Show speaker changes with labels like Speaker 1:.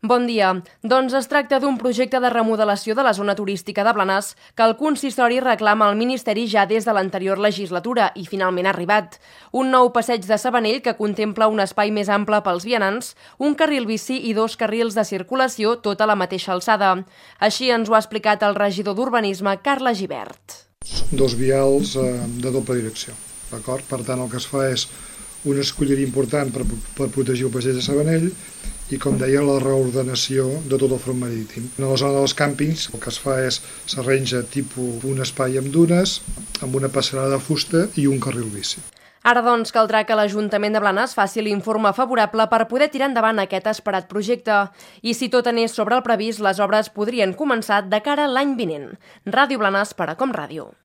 Speaker 1: Bon dia. Doncs es tracta d'un projecte de remodelació de la zona turística de Blanes que el consistori reclama al Ministeri ja des de l'anterior legislatura i finalment ha arribat. Un nou passeig de Sabanell que contempla un espai més ample pels vianants, un carril bici i 2 carrils de circulació, tot a la mateixa alçada. Així ens ho ha explicat el regidor d'Urbanisme, Carles Gibert.
Speaker 2: Són 2 vials de doble direcció, d'acord? Per tant, el que es fa és una escolleria important per protegir el passeig de Sabanell i, com deia, la reordenació de tot el front marítim. En la zona dels càmpings el que es fa és s'arrenja tipus un espai amb dunes, amb una passarel·la de fusta i un carril bici.
Speaker 1: Ara, doncs, caldrà que l'Ajuntament de Blanes faci l'informe favorable per poder tirar endavant aquest esperat projecte. I si tot anés sobre el previst, les obres podrien començar de cara a l'any vinent. Ràdio Blanes per a Com Ràdio.